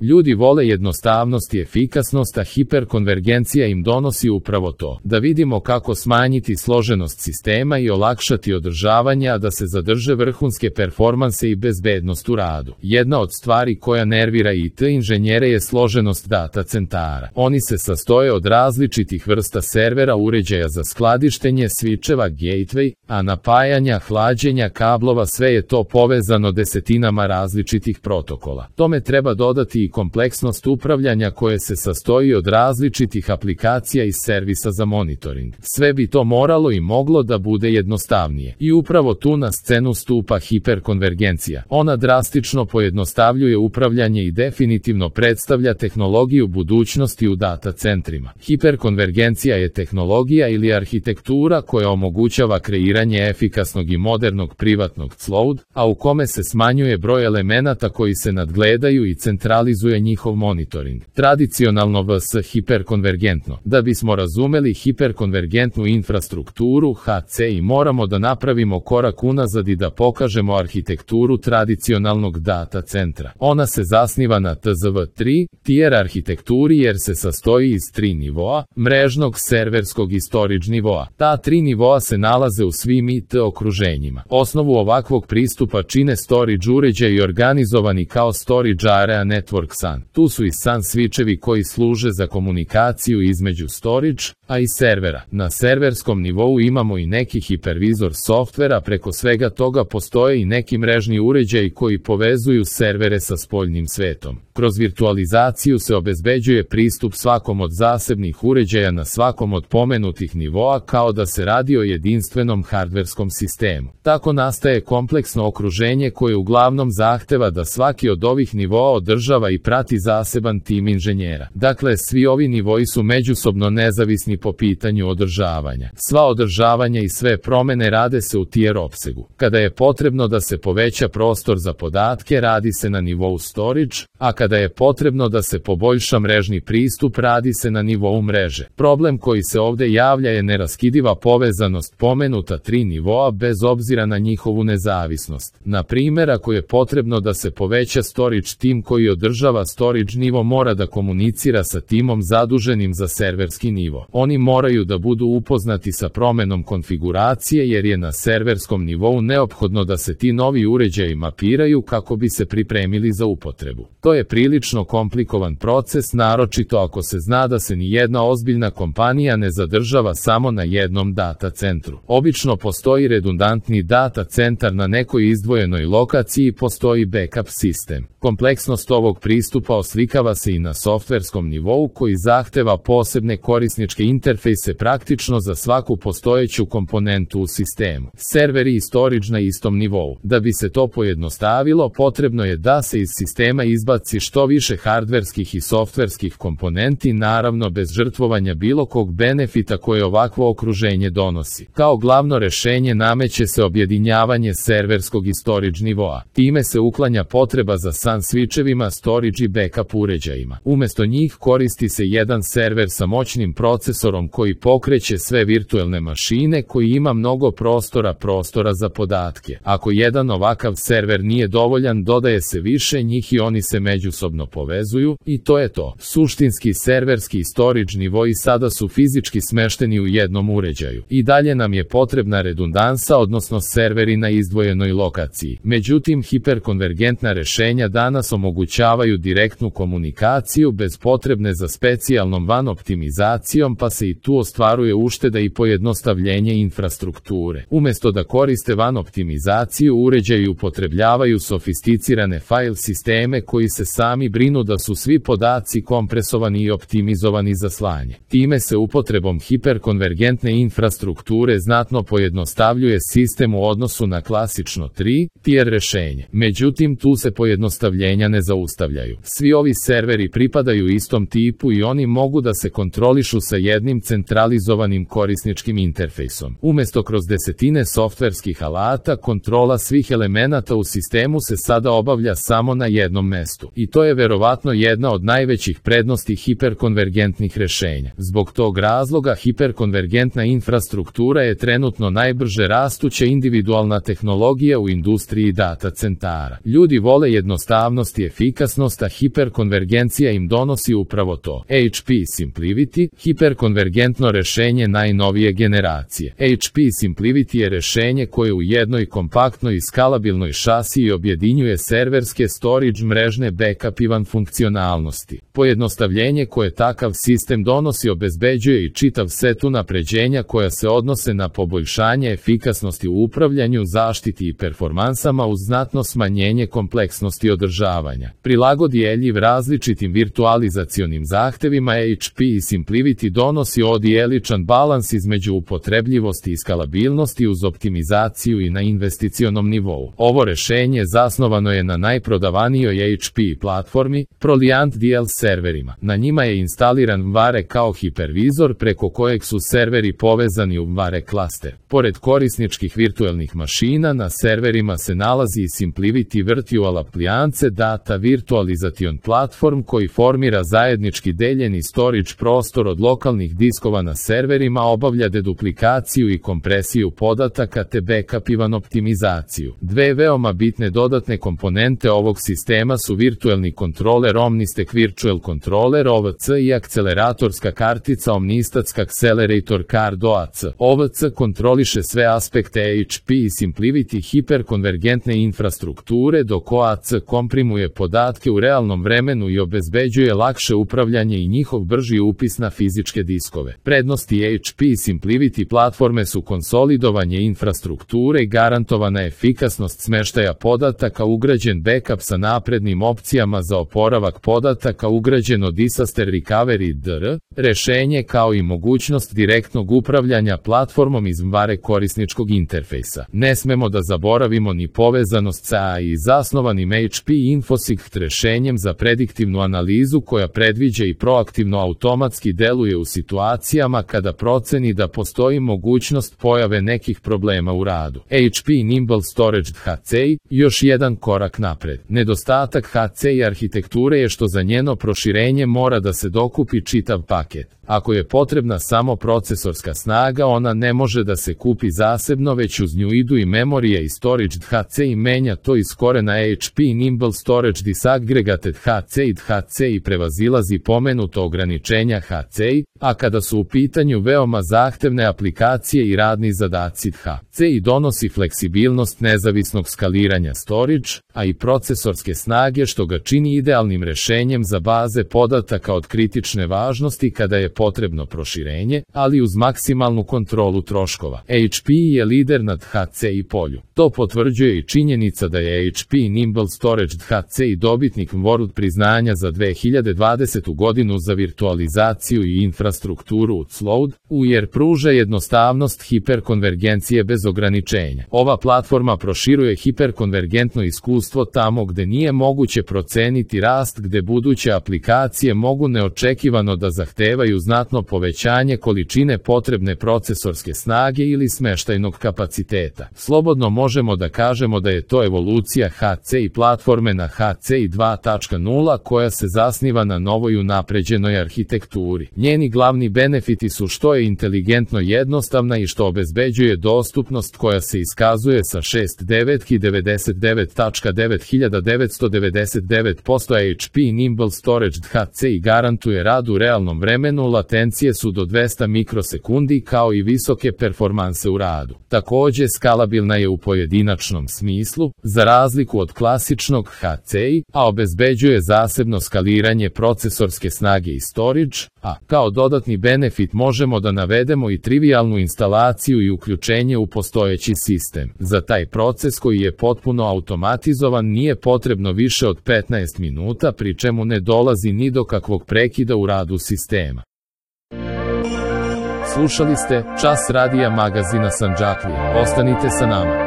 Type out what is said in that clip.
Ljudi vole jednostavnost i efikasnost, a hiperkonvergencija im donosi upravo to. Da vidimo kako smanjiti složenost sistema i olakšati održavanje, a da se zadrže vrhunske performanse i bezbednost u radu. Jedna od stvari koja nervira IT inženjere je složenost data centara. Oni se sastoje od različitih vrsta servera, uređaja za skladištenje, svičeva, gateway, a napajanja, hlađenja, kablova, sve je to povezano desetinama različitih protokola. Tome treba dodati i kompleksnost upravljanja koje se sastoji od različitih aplikacija i servisa za monitoring. Sve bi to moralo i moglo da bude jednostavnije. I upravo tu na scenu stupa hiperkonvergencija. Ona drastično pojednostavljuje upravljanje i definitivno predstavlja tehnologiju budućnosti u data centrima. Hiperkonvergencija je tehnologija ili arhitektura koja omogućava kreiranje efikasnog i modernog privatnog cloud, a u kome se smanjuje broj elemenata koji se nadgledaju i centralizuje njihov monitoring. Tradicionalno vs hiperkonvergentno. Da bismo razumeli hiperkonvergentnu infrastrukturu HC i moramo da napravimo korak unazad i da pokažemo arhitekturu tradicionalnog data centra. Ona se zasniva na TZV3 tier arhitekturi jer se sastoji iz 3 nivoa, mrežnog, serverskog i storage nivoa. Ta 3 nivoa se nalaze u svim IT okruženjima. Osnovu ovakvog pristupa čine storage uređaji organizovani kao storage area network SAN. Tu su i SAN switchevi koji služe za komunikaciju između storage, a i servera. Na serverskom nivou imamo i neki hipervizor softvera, preko svega toga postoje i neki mrežni uređaji koji povezuju servere sa spoljnim svetom. Kroz virtualizaciju se obezbeđuje pristup svakom od zasebnih uređaja na svakom od pomenutih nivoa kao da se radi o jedinstvenom hardverskom sistemu. Tako nastaje kompleksno okruženje koje uglavnom zahteva da svaki od ovih nivoa održava i prati zaseban tim inženjera. Dakle, svi ovi nivoi su međusobno nezavisni po pitanju održavanja. Sva održavanja i sve promene rade se u tier opsegu. Kada je potrebno da se poveća prostor za podatke, radi se na nivou storage, a kada je potrebno da se poboljša mrežni pristup, radi se na nivou mreže. Problem koji se ovde javlja je neraskidiva povezanost pomenuta 3 nivoa bez obzira na njihovu nezavisnost. Na primjer, ako je potrebno da se poveća storage, tim koji održava storage nivo mora da komunicira sa timom zaduženim za serverski nivo. Oni moraju da budu upoznati sa promenom konfiguracije jer je na serverskom nivou neophodno da se ti novi uređaji mapiraju kako bi se pripremili za upotrebu. To je prilično komplikovan proces, naročito ako se zna da se ni jedna ozbiljna kompanija ne zadržava samo na jednom data centru. Obično postoji redundantni data centar na nekoj izdvojenoj lokaciji i postoji backup sistem. Kompleksnost ovog pristupa oslikava se i na softverskom nivou koji zahteva posebne korisničke interfejse praktično za svaku postojeću komponentu u sistemu. Serveri i storage na istom nivou. Da bi se to pojednostavilo, potrebno je da se iz sistema izbaci što više hardverskih i softverskih komponenti, naravno bez žrtvovanja bilo kog benefita koje ovakvo okruženje donosi. Kao glavno rešenje nameće se objedinjavanje serverskog i storage nivoa. Time se uklanja potreba za SAN switchevima, storage i backup uređajima. Umesto njih koristi se jedan server sa moćnim procesorom koji pokreće sve virtuelne mašine, koji ima mnogo prostora za podatke. Ako jedan ovakav server nije dovoljan, dodaje se više njih i oni se međusobno povezuju i to je to. Suštinski serverski i storage nivoi sada su fizički smešteni u jednom uređaju. I dalje nam je potrebna redundansa, odnosno serveri na izdvojenoj lokaciji. Međutim, hiperkonvergentna rešenja danas omogućavaju direktnu komunikaciju bez potrebne za specijalnom WAN optimizacijom, pa se i tu ostvaruje ušteda i pojednostavljenje infrastrukture. Umesto da koriste WAN optimizaciju, uređaji upotrebljavaju sofisticirane file sisteme koji se sami brinu da su svi podaci kompresovani i optimizovani za slanje. Time se upotrebom hiperkonvergentne infrastrukture znatno pojednostavljuje sistem u odnosu na klasično 3 tier rešenje. Međutim, tu se pojednostavljenja ne zaustavljaju. Svi ovi serveri pripadaju istom tipu i oni mogu da se kontrolišu sa jednim centralizovanim korisničkim interfejsom. Umesto kroz desetine softverskih alata, kontrola svih elemenata u sistemu se sada obavlja samo na jednom mestu. I to je verovatno jedna od najvećih prednosti hiperkonvergentnih rešenja. Zbog tog razloga hiperkonvergentna infrastruktura je trenutno najbrže rastuća individualna tehnologija u industriji data centara. Ljudi vole jednostavnost i efikasnost jednostavnost, a hiperkonvergencija im donosi upravo to. HP Simplivity, hiperkonvergentno rešenje najnovije generacije. HP Simplivity je rešenje koje u jednoj kompaktnoj i skalabilnoj šasiji objedinjuje serverske, storage, mrežne, backup i van funkcionalnosti. Pojednostavljenje koje takav sistem donosi obezbeđuje i čitav set unapređenja koja se odnose na poboljšanje efikasnosti u upravljanju, zaštiti i performansama uz znatno smanjenje kompleksnosti održavanja. Prilagodljiv različitim virtualizacionim zahtevima, HP Simplivity donosi odijeličan balans između upotrebljivosti i skalabilnosti uz optimizaciju i na investicionom nivou. Ovo rešenje zasnovano je na najprodavanijoj HP platformi, Proliant DL serverima. Na njima je instaliran VMware kao hipervizor preko kojeg su serveri povezani u VMware klaster. Pored korisničkih virtualnih mašina, na serverima se nalazi i Simplivity Virtual Appliance Data Virtualization Platform koji formira zajednički deljeni storage prostor od lokalnih diskova na serverima, obavlja deduplikaciju i kompresiju podataka te backup i van optimizaciju. Dve veoma bitne dodatne komponente ovog sistema su virtualni kontroler Omnistek Virtual Controller OVC i akceleratorska kartica Omnistack Accelerator Card OAC. OVC kontroliše sve aspekte HP i Simplivity hiperkonvergentne infrastrukture, dok OAC komprimuje podatke u realnom vremenu i obezbeđuje lakše upravljanje i njihov brži upis na fizičke diskove. Prednosti HP Simplivity platforme su konsolidovanje infrastrukture, garantovana efikasnost smeštaja podataka, ugrađen backup sa naprednim opcijama za oporavak podataka, ugrađeno disaster recovery DR, rešenje kao i mogućnost direktnog upravljanja platformom iz VMware korisničkog interfejsa. Ne smemo da zaboravimo ni povezanost sa AI zasnovanim HP InfoSight rešenjem za prediktivnu analizu koja predviđa i proaktivno automatski deluje u situacijama kada proceni da postoji mogućnost pojave nekih problema u radu. HP Nimble Storage HCI, još jedan korak napred. Nedostatak HCI arhitekture je što za njeno proširenje mora da se dokupi čitav paket. Ako je potrebna samo procesorska snaga, ona ne može da se kupi zasebno, već uz nju idu i memorija i storage. HCI menja to iz korena. HP Nimble Storage Disaggregated HCI prevazilazi pomenuto ograničenja HCI, a kada su u pitanju veoma zahtevne aplikacije i radni zadaci, HCI donosi fleksibilnost nezavisnog skaliranja storage, a i procesorske snage, što ga čini idealnim rešenjem za baze podataka od kritične važnosti kada je potrebno proširenje, ali uz maksimalnu kontrolu troškova. HP je lider nad HCI polju. To potvrđuje i činjenica da je HP Nimble Storage HCI dobitnik World priznanja za 2020. godinu za virtualizaciju i infrastrukturu cloud, jer pruža jednostavnost hiperkonvergencije bez ograničenja. Ova platforma proširuje hiperkonvergentno iskustvo tamo gde nije moguće proceniti rast, gde buduće aplikacije mogu neočekivano da zahtevaju znatno povećanje količine potrebne procesorske snage ili smeštajnog kapaciteta. Slobodno možemo da kažemo da je to evolucija HCI platforme na HCI 2.0 koja se zasniva na novoj unapređenoj arhitekturi. Njeni glavni benefiti su što je inteligentno jednostavna i što obezbeđuje dostupnost koja se iskazuje sa 6.9.99.9999%. HP Nimble Storage HCI garantuje rad u realnom vremenu, latencije su do 200 mikrosekundi kao i visoke performanse u radu. Takođe skalabilna je u pojedinačnom smislu, za razliku od klasičnog HCI, a obezbeđuje zasebno skaliranje procesorske snage i storage, a kao dodatni benefit možemo da navedemo i trivijalnu instalaciju i uključenje u postojeći sistem. Za taj proces koji je potpuno automatizovan nije potrebno više od 15 minuta, pri čemu ne dolazi ni do kakvog prekida u radu sistema. Slušali ste Čas radija magazina Sandžaklija. Ostanite sa nama.